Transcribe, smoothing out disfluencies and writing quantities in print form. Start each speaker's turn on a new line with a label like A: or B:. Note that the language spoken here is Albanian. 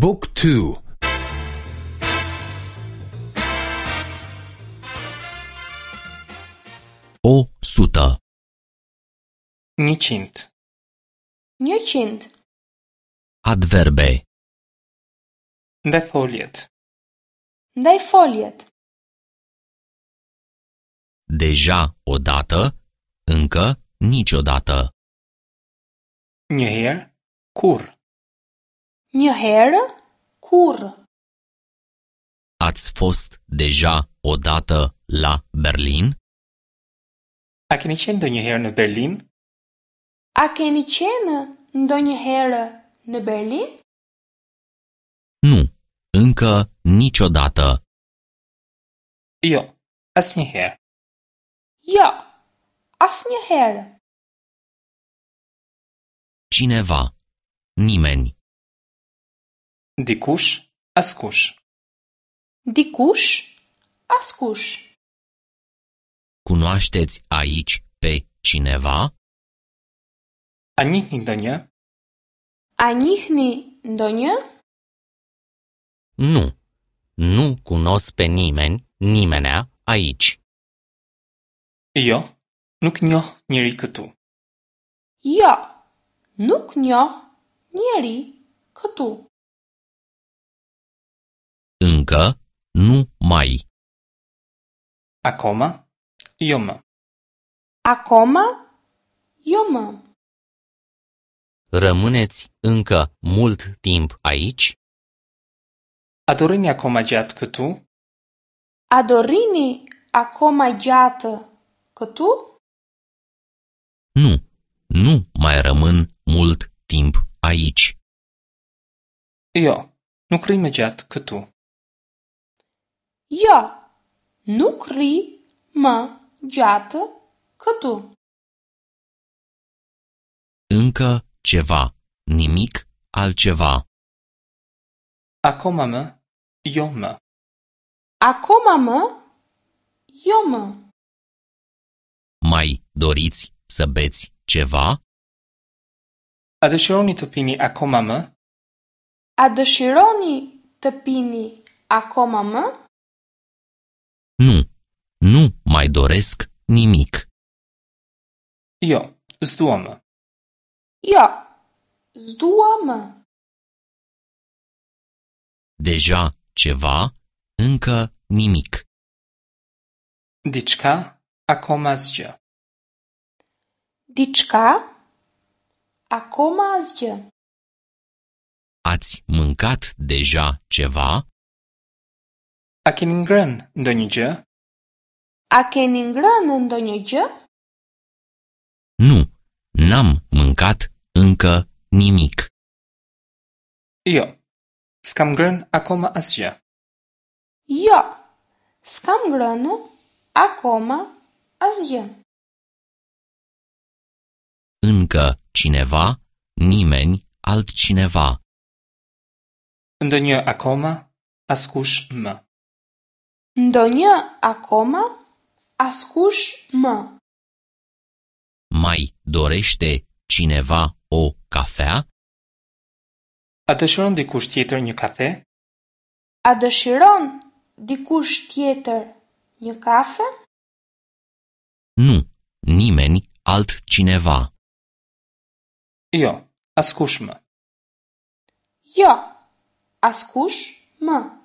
A: บุ๊กทู
B: O sută.
C: 100.
D: 100.
B: Adverbe.
C: Ndajfoljet.
D: Ndajfoljet.
B: Deja odată, încă niciodată.
C: Një herë, kurrë.
D: Një herë, kurrë.
B: Ați fost deja odată la Berlin?
C: A keni qenë ndonjëherë në Berlin?
D: A keni qenë ndonjëherë në Berlin?
B: Nu, încă niciodată.
C: Jo, asnjëherë.
D: Jo, asnjëherë.
B: Cineva. Nimeni.
C: Dikush, askush.
D: Dikush, askush.
B: Cunoașteți aici pe cineva?
C: A njihni ndonjë?
D: A njihni ndonjë?
B: Nu. Nu cunosc pe nimeni, nimenea aici.
C: Jo, nuk njoh njeri këtu.
D: Jo, nuk njoh njeri këtu.
B: Încă nu mai.
C: Akoma? Jo më.
D: Akoma? Jo më.
B: Rămâneți încă mult timp aici?
C: A do rrini akoma gjatë këtu?
D: A do rrini akoma gjatë këtu?
B: Nu, nu mai rămân mult timp aici.
C: Jo, nuk rri më gjatë këtu.
D: Jo, nuk rri më gjatë këtu.
B: Încă ceva, nimic altceva.
C: Akoma më, jo më.
D: Akoma më? Jo më.
B: Mai doriți să beți ceva?
C: A dëshironi të pini akoma më?
D: A dëshironi të pini akoma më?
B: Nu, nu mai doresc nimic.
C: Jo, s'dua më.
D: Jo, s'dua më.
B: Deja ceva, încă nimic.
C: Diçka, akoma asgjë.
D: Diçka? Akoma asgjë.
B: Ați mâncat deja ceva?
C: A keni ngrënë ndonjë gjë?
D: A keni ngrënë ndonjë gjë?
B: Nu, n-am mâncat încă nimic.
C: Jo, s'kam ngrënë akoma asgjë.
D: Jo, s'kam ngrënë akoma asgjë.
B: Încă cineva, nimeni altcineva.
C: Ndonjë akoma, askush më.
D: Ndonjë akoma, askush më.
B: Mai dorește cineva o cafea?
C: A dëshiron dikush tjetër një kafe?
D: A dëshiron dikush tjetër një kafe?
B: Nu, nimeni altcineva.
C: Jo, askush më.
D: Jo, askush më.